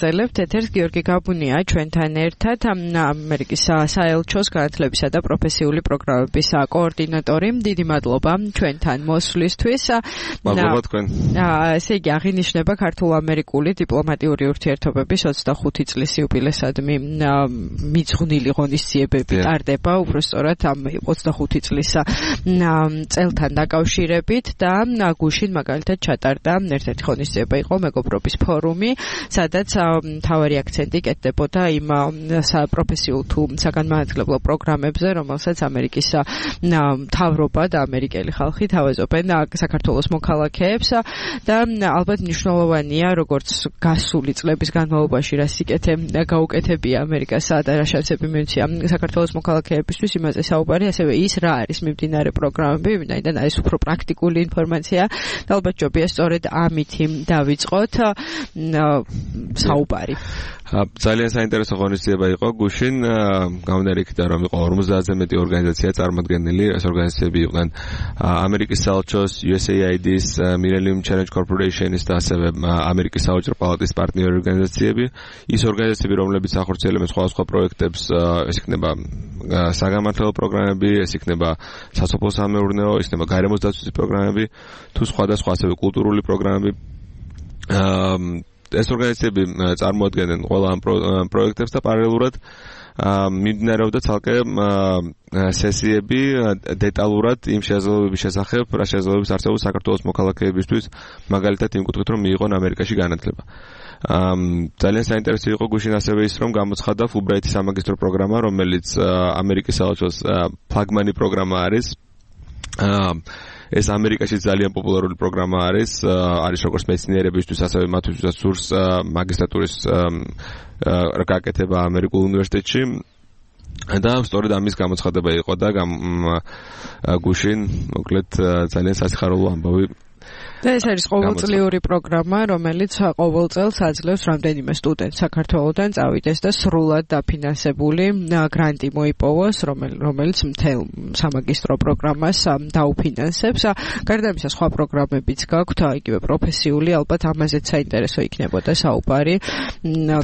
ვაგრძელებთ ეთერს გიორგი გაბუნია ჩვენთან ერთად ამერიკის საელჩოს განათლებისა და პროფესიული პროგრამების კოორდინატორი. დიდი მადლობა ჩვენთან მოსვლისთვის. მადლობა თქვენ. ესე იგი აღინიშნება ქართულ-ამერიკული დიპლომატიური ურთიერთობების 25 წლის იუბილესადმი მიძღვნილი ღონისძიებები ტარდება უბრალოდ ამ 25 წლის წელთან დაკავშირებით და გუშინ მაგალითად ჩატარდა ერთ-ერთი ღონისძიება იყო მეგობრობის ფორუმი, სადაც მთავარი აქცენტი კეთდებოდა იმ პროფესიულ თუ საგანმანათლებლო პროგრამებზე, რომელსაც ამერიკის მთავრობა და ამერიკელი ხალხი თავაზობენ საქართველოს მოქალაქეებს და ალბათ მნიშვნელოვანია როგორც გასული წლების განმავლობაში რა სიკეთე გაუკეთებია ამერიკასა და რა შანსები მიუცია საქართველოს მოქალაქეებისთვის იმაზე საუბარი, ასევე ის რა არის მიმდინარე პროგრამები, ვინაიდან ეს უფრო პრაქტიკული ინფორმაცია და ალბათ ჯობია სწორედ ამითი დავიწყოთ საუბარი. ძალიან საინტერესო ღონისძიება იყო გუშინ, გამომდინარე იქიდან რომ იყო 50-ზე მეტი ორგანიზაცია წარმოდგენილი. ეს ორგანიზაციები იყვნენ ამერიკის საელჩოს, USAID-ის, Millennium Challenge Corporation-ის და ასევე ამერიკის საოჯრო პალატის პარტნიორი ორგანიზაციები. ის ორგანიზაციები, რომლებიც ახორციელებენ სხვადასხვა პროექტებს, ეს იქნება საგანმანათლებლო პროგრამები, ეს იქნება სასოფლო-სამეურნეო, ეს იქნება გარემოს დაცვის პროგრამები, თუ სხვადასხვა ასევე კულტურული პროგრამები. ეს ორგანიზაციები წარმოადგენენ ყველა ამ პროექტებს და პარალელურად მიმდინარეობდა ცალკე სესიები დეტალურად იმ შესაძლებლობების შესახებ, რა შესაძლებლობების არსებობს საქართველოს მოქალაქეებისთვის, მაგალითად იმ კუთხით რომ მიიღონ ამერიკაში განათლება. ძალიან საინტერესო იყო გუშინ ასევე ის რომ გამოცხადდა ფულბრაითის სამაგისტრო პროგრამა, რომელიც ამერიკის საელჩოს ფლაგმანი პროგრამა არის. ეს ამერიკაში ძალიან პოპულარული პროგრამა არის როგორც მეცნიერებისთვის, ასევე მათთვის სურს მაგისტრატურის გაკეთება ამერიკულ უნივერსიტეტში. და სწორედ ამის გამოცხადება იყო და გუშინ მოკლედ ძალიან სასიხარულო ამბავი. და ეს არის ყოველწლიური პროგრამა, რომელიც ყოველ წელს აძლევს რამდენიმე სტუდენტს საქართველოდან წავიდეს და სრულად დაფინანსებული გრანტი მოიპოვოს, რომელიც მთელ სამაგისტრო პროგრამას დაუფინანსებს. გარდა ამისა, სხვა პროგრამებიც გაქვთ, იგივე პროფესიული, ალბათ ამაზეც საინტერესო იქნებოდა საუბარი.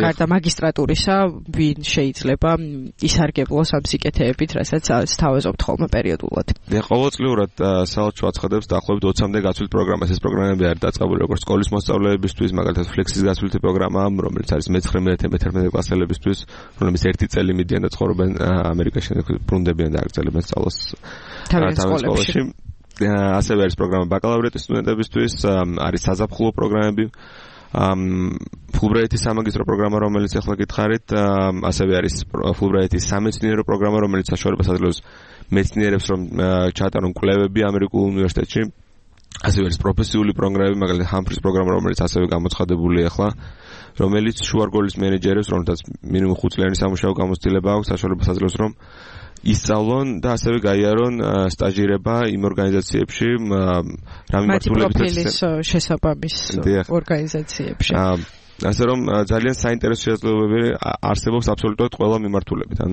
გარდა მაგისტრატურისა, ვინ შეიძლება ისარგებლოს ამ სიკეთეებით, რასაც სთავაზობთ ხოლმე პერიოდულად. ყოველწლიურად საელჩო აცხადებს დაახლოებით 20-მდე გაცვლით პროგრამას. ეს პროგრამები არის დაწყებული როგორც სკოლის მოსწავლეებისთვის, მაგალითად ფლექსის გაცვლითი პროგრამა, რომელიც არის მე-19-მე-11 კლასელებისთვის, რომლებიც ერთი წელი მიდიან და ცხოვრობენ ამერიკაში, ბრუნდებიან და აგრძელებენ სწავლას თავის სკოლებში. ასევე არის პროგრამა ბაკალავრიატის სტუდენტებისთვის, არის საზაფხულო პროგრამები, ფულბრაითის სამაგისტრო პროგრამა, რომელიც ახლა გითხარით, ასევე არის ფულბრაითის სამეცნიერო პროგრამა, რომელიც საშუალებას აძლევს მეცნიერებს რომ ჩაატარონ კვლევები ამერიკულ უნივერსიტეტში. ასევე არის პროფესიული პროგრამები, მაგალითად ჰამფრის პროგრამა, რომელიც ასევე გამოცხადებულია ახლა, რომელიც შუარგოლის მენეჯერებს, რომელთაც მინიმუმ 5 წლიანი სამუშაო გამოცდილება აქვს, საშუალებას აძლევს რომ ისწავლონ და ასევე გაიარონ სტაჟირება იმ ორგანიზაციებში, რა მიმართულებით პროფილის შესაბამის ორგანიზაციებში. ასე რომ ძალიან საინტერესო შესაძლებლობები არსებობს აბსოლუტურად ყველა მიმართულებით. ან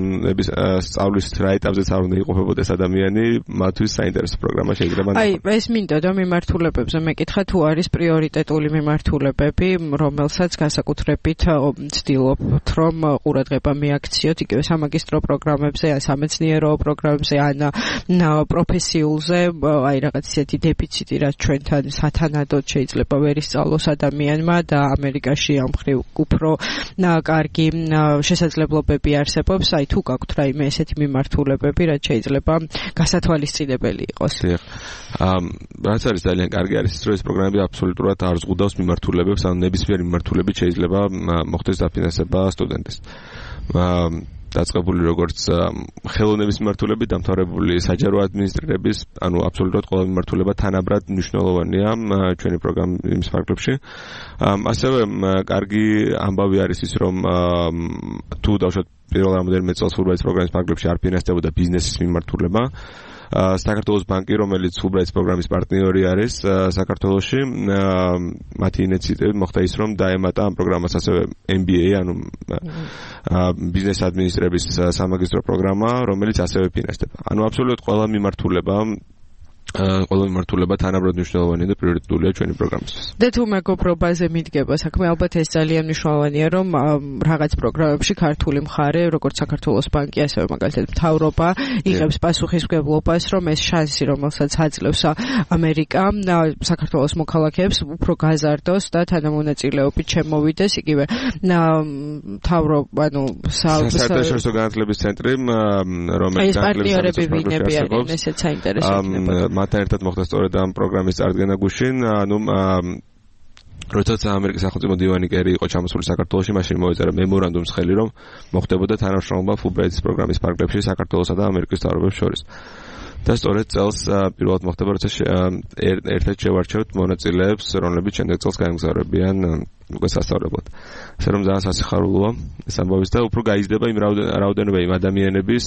სწავლის რა ეტაპზეც არ უნდა იყოფებოდეს ადამიანი, მათთვის საინტერესო პროგრამა შეიძლება. აი, ეს მინდოდა მიმართულებებზე მეკითხა, თუ არის პრიორიტეტული მიმართულებები, რომელსაც განსაკუთრებით ვცდილობთ, რომ ყურადღება მიაქციოთ იგივე სამაგისტრო პროგრამებზე, ან სამეცნიერო პროგრამებზე, ან პროფესიულზე, აი რაღაც ისეთი დეფიციტი, რაც ჩვენთან სათანადოდ შეიძლება ვერ ისწავლოს ადამიანმა და ამერიკაში ამ მხრივ უფრო კარგი შესაძლებლობები არსებობს, აი თუ გაქვთ რაიმე ესეთი მიმართულებები, რაც შეიძლება გასათვალისწინებელი იყოს. რაც არის ძალიან კარგი არის ის, რომ ეს პროგრამები აბსოლუტურად არ ზღუდავს მიმართულებებს, ანუ ნებისმიერი მიმართულებით შეიძლება მოხდეს დაფინანსება სტუდენტის. დაწყებული როგორც ხელოვნების მიმართულებით დამთავრებული საჯარო ადმინისტრირების, ანუ აბსოლუტურად ყველა მიმართულება თანაბრად მნიშვნელოვანია ჩვენი პროგრამის ფარგლებში. ასევე კარგი ამბავი არის ის, რომ თუ დავუშვათ პირველ რამოდენიმე წელს ფულბრაითის პროგრამის ფარგლებში არ ფინანსდებოდა ბიზნესის მიმართულება, საქართველოს ბანკი, რომელიც ფულბრაითის პროგრამის პარტნიორი არის საქართველოში, მათი ინიციატივით მოხდა ის, რომ დაემატა ამ პროგრამას ასევე MBA, ანუ ბიზნეს ადმინისტრების სამაგისტრო პროგრამა, რომელიც ასევე ფინანსდება. ანუ აბსოლუტურად ყველა მიმართულება ყველა მიმართულება თანაბრად მნიშვნელოვანია და პრიორიტეტულია ჩვენი პროგრამისთვის. და თუ მეგობრობაზე მიდგება საქმე, ალბათ ეს ძალიან მნიშვნელოვანია, რომ რაღაც პროგრამებში ქართული მხარე, როგორც საქართველოს ბანკი, ასევე მაგალითად მთავრობა იღებს პასუხისმგებლობას, რომ ეს შანსი, რომელსაც აძლევს ამერიკა საქართველოს მოქალაქეებს, უფრო გაზარდოს და თანამონაწილეობით შემოვიდეს, იგივე მთავრობა, საერთაშორისო განათლების ცენტრი, რომელიც პარტნიორები ვინები არიან, ესეც საინტერესო იქნება. მათთან ერთად მოხდა სწორედ ამ პროგრამის წარდგენა გუშინ, როდესაც ამერიკის სახელმწიფო დივანი კერი იყო ჩამოსული საქართველოში, მაშინ მოეწერა მემორანდუმს ხელი, რომ მოხდებოდა თანამშრომლობა ფულბრაიტის პროგრამის ფარგლებში საქართველოსა და ამერიკის მთავრობებს შორის. და სწორედ წელს პირველად მოხდება, როცა ერთად შევარჩევთ მონაწილეებს, რომლებიც შემდეგ წელს გაემგზავრებიან უკვე სასწავლებლად. ასე რომ ძალიან სასიხარულოა ეს ამბავი და უფრო გაიზრდება იმ რაოდენობა იმ ადამიანების,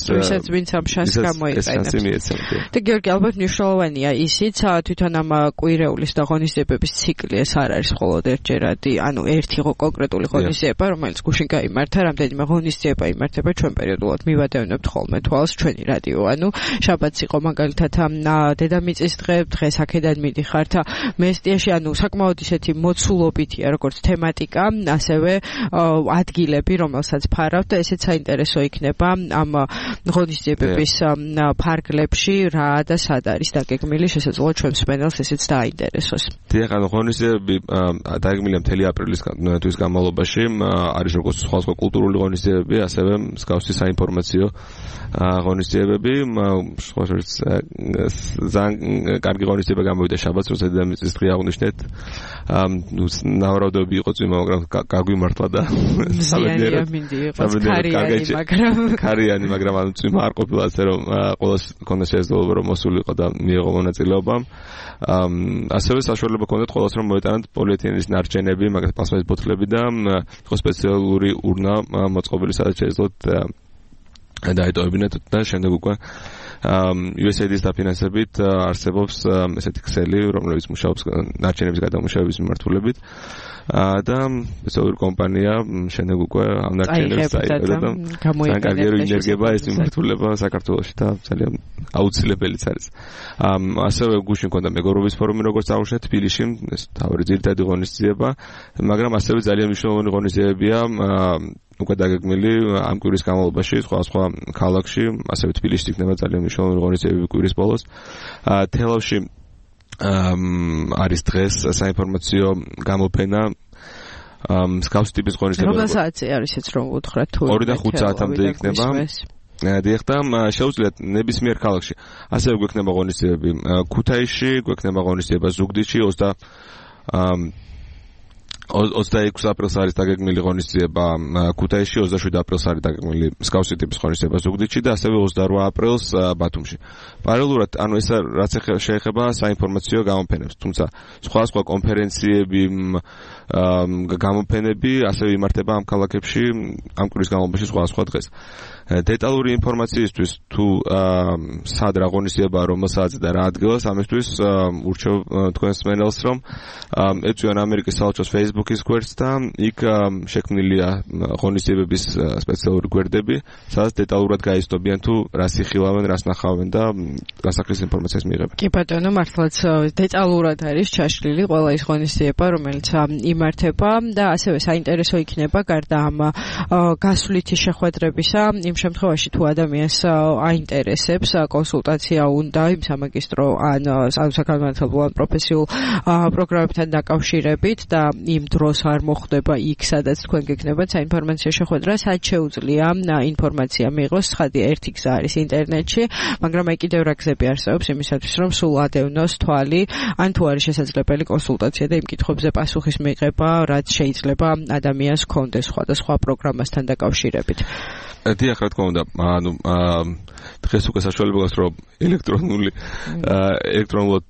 ვინც ამ შანსს გამოიყენებს. და გიორგი, ალბათ მნიშვნელოვანია ისიც, თვითონ ამ კვირეულის და ღონისძიებების ციკლი ეს არ არის მხოლოდ ერთჯერადი, ანუ ერთი კონკრეტული ღონისძიება, რომელიც გუშინ გაიმართა, რამდენიმე ღონისძიება იმართება ჩვენ პერიოდულად მივადევნებთ ხოლმე თვალს ჩვენი რადიო, ანუ შაბათს იყო მაგალითად დედამიწის დღე, დღეს აქედან მიდიხართ მესტიაში, ანუ საკმაოდ ისეთი მოცულობითია როგორც თემატიკა, ასევე ადგილები, რომელსაც ფარავთ და ესეც საინტერესო იქნება ამ ღონისძიებების ფარგლებში რა და სად არის დაგეგმილი, შესაძლოა ჩვენს პანელს ესეც დააინტერესოს. დიახ, ანუ ღონისძიებები დაგეგმილია მთელი აპრილის თვის განმავლობაში, არის როგორც სხვა კულტურული ღონისძიებები, ასევე მსგავსი საინფორმაციო ღონისძიებები, ძალიან კარგი ღონისძიება გამოვიდა შაბათს, როცა დედამიწის დღე აღნიშნეთ. ნავარაუდები იყო წვიმა, მაგრამ გაგვიმართლა და ქარიანი, მაგრამ ანუ წვიმა არ ყოფილა, ასე რომ ყველას ჰქონდა შესაძლებლობა რომ მოსულიყო და მიიღო მონაწილეობა. ასევე საშუალება ჰქონდათ ყველას რომ მოეტანათ პოლიეთილენის ნარჩენები, მაგალითად პლასმასის ბოთლები და იყო სპეციალური ურნა მოწყობილი, სადაც შეეძლოთ დაეტოვებინათ და შემდეგ უკვე USAID-ის დაფინანსებით არსებობს ესეთი ქსელი, რომელიც მუშაობს ნარჩენების გადამუშავების მიმართულებით და სპეციალური კომპანია შემდეგ უკვე ამ ნარჩენებს წაიღება და ძალიან კარგი ინერგება ეს მიმართულება საქართველოში და ძალიან აუცილებელიც არის. ასევე გუშინ მქონდა მეგობრობის ფორუმი, როგორც აღნიშნეთ, თბილისში, ეს თავი ძირითადი ღონისძიება, მაგრამ ასევე ძალიან მნიშვნელოვანი ღონისძიებებია უკვე დაგეგმილი ამ კვირის განმავლობაში სხვა ქალაქში, ასევე თბილისში იქნება ძალიან მნიშვნელოვანი ღონისძიებები კვირის ბოლოს. თელავში არის დღეს საინფორმაციო გამოფენა მსგავსი ტიპის ღონისძიება. რომელ საათზე არის ეს რომ უთხრათ თუ 2-დან 5 საათამდე იქნება. დიახ, და შეუძლიათ ნებისმიერ ქალაქში. ასევე გვექნება ღონისძიებები ქუთაისში, გვექნება ღონისძიება ზუგდიდში 26 აპრილს არის დაგეგმილი ღონისძიება ქუთაისში, 27 აპრილს არის დაგეგმილი მსგავსი ტიპის ღონისძიება ზუგდიდში და ასევე 28 აპრილს ბათუმში. პარალელურად, ანუ ეს რაც შეეხება საინფორმაციო გამოფენებს, თუმცა სხვა კონფერენციები, გამოფენები ასევე იმართება ამ ქალაქებში ამ კვირის განმავლობაში სხვა დღეს. დეტალური ინფორმაციისთვის თუ სად რა ღონისძიებაა, რომელ საათზე და რა ადგილას, ამისთვის ურჩევ თქვენს მენელს, რომ ეწვიან ამერიკის საელჩოს Facebook-ის გვერდს და იქ შექმნილია ღონისძიებების სპეციალური გვერდები, სადაც დეტალურად გაიზრდობიან თუ რას იხილავენ, რას ნახავენ და რასახლის ინფორმაციას მიიღებენ. კი ბატონო, მართლაც დეტალურად არის ჩაშლილი ყველა ის ღონისძიება, რომელიც იმართება და ასევე საინტერესო იქნება გარდა ამ გასვლითი შეხვედრებისა, იმ შემთხვევაში თუ ადამიანს აინტერესებს კონსულტაცია უნდა იმ სამაგისტრო ან საკანონმდებლო ან პროფესიულ პროგრამებთან დაკავშირებით და იმ დროს არ მოხდება იქ, სადაც თქვენ გეკნებათ საინფორმაციო შეხვედრა, სად შეუძლია ინფორმაცია მიიღოს. ცხადი ერთი გზა არის ინტერნეტში, მაგრამ აი კიდევ რა გზები არსებობს იმისათვის, რომ სულ ადევნოს თვალი, ან თუ არის შესაძლებელი კონსულტაცია და იმ კითხვებზე პასუხის მიღება, რაც შეიძლება ადამიანს ჰქონდეს სხვადასხვა პროგრამასთან დაკავშირებით. დიახ, რა თქმა უნდა, ანუ დღეს უკვე საშუალება გაქვს, რომ ელექტრონულად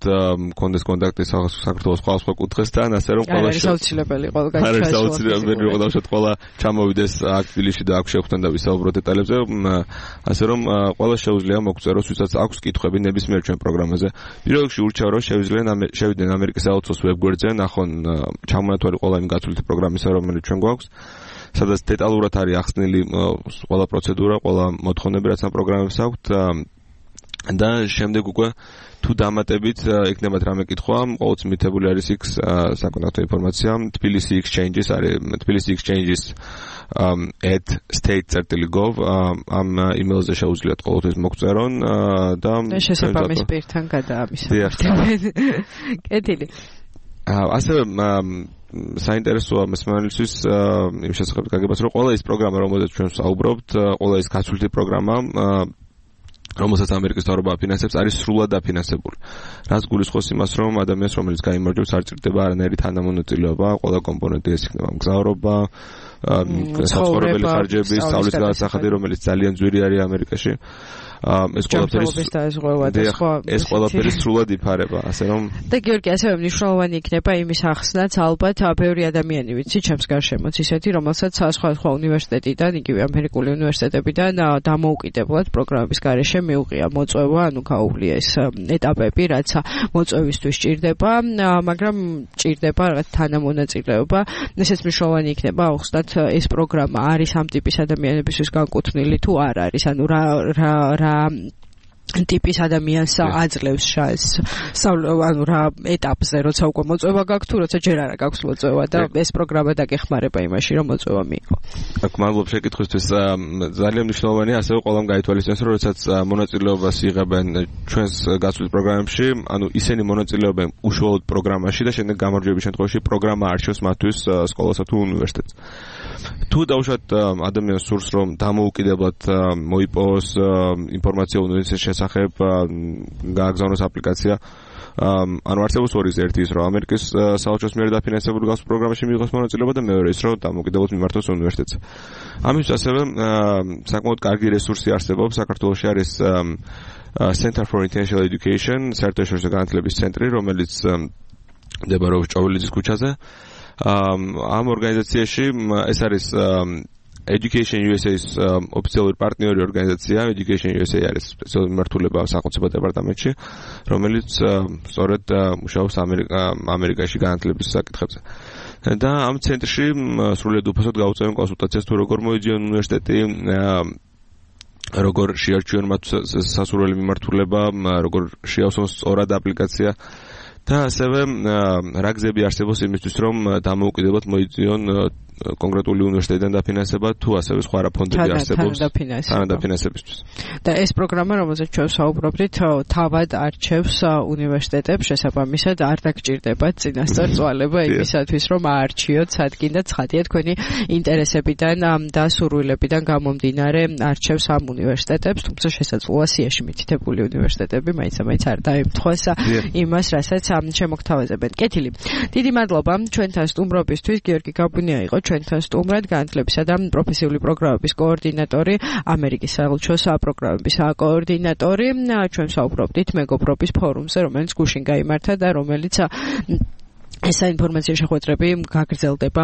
მქონდეს კონტაქტი საქართველოს სხვა კუთხესთან, ასე რომ ყველა არის აუცილებელი ყველა ჩამოვიდეს აქ თბილისში და აქ შევხვდეთ და ვისაუბროთ დეტალებზე, ასე რომ ყველა შეუძლია მოგწეროს, ვისაც აქვს კითხვები ნებისმიერ ჩვენ პროგრამაზე. პირველ რიგში ურჩევ, რომ შევიდნენ ამერიკის საელჩოს ვებგვერდზე, ნახონ ჩამონათვალი ყველა იმ გაცვლითი პროგრამისა, რომელიც ჩვენ გვაქვს. სადაც დეტალურად არის ახსნილი ყველა პროცედურა, ყველა მოთხოვნები, რაც ამ პროგრამებს აქვთ. და შემდეგ უკვე თუ დამატებით იქნებათ რამე კითხვა, ყოველთვის მითებული არის იქ საკონტაქტო ინფორმაცია, Tbilisi Exchanges არის Tbilisi Exchanges @state.gov ამ იმეილზე შეუძლიათ ყოველთვის მოგწერონ და შესაბამის პირთან გადაამისახებენ. კეთილი. ასევე საინტერესოა მსმენელისთვის იმ შესახებ გაგებას, რომ ყველა ის პროგრამა, რომელზეც ჩვენ ვსაუბრობთ, ყველა ის გაცვლითი პროგრამა რომელსაც ამერიკის მთავრობა აფინანსებს, არის სრულად დაფინანსებული. რაც გულისხმობს იმას, რომ ადამიანს, რომელიც გაიმარჯვებს, არ ჭირდება არანაირი თანამონაწილეობა, ყველა კომპონენტი ეს იქნება მგზავრობა, საცხოვრებელი ხარჯები, სწავლის გადასახადი, რომელიც ძალიან ძვირი არის ამერიკაში. ეს ყველაფერი სრულად იფარება, ასე რომ და გიორგი, ასევე მნიშვნელოვანი იქნება იმის ახსნაც, ალბათ ბევრი ადამიანი ვიცი ჩემს გარშემოც ისეთი, რომელსაც სხვა უნივერსიტეტიდან, იგივე ამერიკული უნივერსიტეტებიდან დამოუკიდებლად პროგრამების გარეშე მიუღია მოწვევა, ანუ გაუვლია ეს ეტაპები, რაც მოწვევისთვის ჭირდება, მაგრამ ჭირდება რაღაც თანამონაწილეობა. ესეც მნიშვნელოვანი იქნება ახსნათ, ეს პროგრამა არის ამ ტიპის ადამიანებისთვის განკუთვნილი თუ არ არის, ანუ რა ტიპის ადამიანს აძლევს ანუ რა ეტაპზე, როცა უკვე მოწვევა გაქვს, თუ როცა ჯერ არა გაქვს მოწვევა და ეს პროგრამა დაგეხმარება იმაში, რომ მოწვევა მიიღო. აქ მადლობა შეკითხვისთვის. ძალიან მნიშვნელოვანია ასევე ყველამ გაითვალისწინოს, რომ როდესაც მონაწილეობას იღებენ ჩვენს გაცვლით პროგრამებში, ანუ ისინი მონაწილეობენ უშუალოდ პროგრამაში და შემდეგ გამარჯვების შემთხვევაში პროგრამა არჩევს მათთვის სკოლასა თუ უნივერსიტეტს. თუ დავუშვათ ადამიანს სურს, რომ დამოუკიდებლად მოიპოვოს ინფორმაცია უნივერსიტეტის შესახებ, გააგზავნოს აპლიკაცია, ანუ არსებობს ორი ზერთი ის, რომ ამერიკის საელჩოს მიერ დაფინანსებული გასულ პროგრამაში მიიღოს მონაწილეობა და მეორე ის, რომ დამოუკიდებლად მიმართოს უნივერსიტეტს. ამისთვის ასევე საკმაოდ კარგი რესურსი არსებობს. საქართველოში არის Center for International Education, საერთაშორისო განათლების ცენტრი, რომელიც მდებარეობს ჭოვილიძის ქუჩაზე. ამ ორგანიზაციაში ეს არის Education USA-ს ოფიციალური პარტნიორი ორგანიზაცია. Education USA არის სპეციალური მიმართულება სახელმწიფო დეპარტამენტში, რომელიც სწორედ მუშაობს ამერიკაში განათლების საკითხებზე. და ამ ცენტრში სრულიად უფასოდ გაუწევენ კონსულტაციას, თუ როგორ მოიძიონ უნივერსიტეტი, როგორ შეარჩიონ მათ სასურველი მიმართულება, როგორ შეავსონ სწორად აპლიკაცია. და ასევე რა გზები არსებობს იმისთვის, რომ დამოუკიდებლად მოიძიონ კონკრეტული უნივერსიტეტიდან დაფინანსება, თუ ასევე სხვა რა ფონდები არსებობს თანადაფინანსებისთვის. და ეს პროგრამა, რომელზეც ჩვენ ვსაუბრობთ, თავად არჩევს უნივერსიტეტებს, შესაბამისად არ დაგჭირდებათ წინასწარ წვალება იმისათვის, რომ აარჩიოთ სადგინ და ცხადია თქვენი ინტერესებიდან და სურვილებიდან გამომდინარე არჩევს ამ უნივერსიტეტებს, თუმცა შესაძლოა სიაში მითითებული უნივერსიტეტები მაინც არ დაემთხვას იმას, რასაც შემოგთავაზებენ. კეთილი. დიდი მადლობა ჩვენთან სტუმრობისთვის. გიორგი გაბუნია იყო ჩვენთან სტუმრად, განათლებისა და პროფესიული პროგრამების კოორდინატორი, ამერიკის საელჩოს პროგრამების კოორდინატორი. ჩვენ საუბრობდით მეგობრობის ფორუმზე, რომელიც გუშინ გაიმართა და რომელიც ეს საინფორმაციო შეხვედრები გაგრძელდება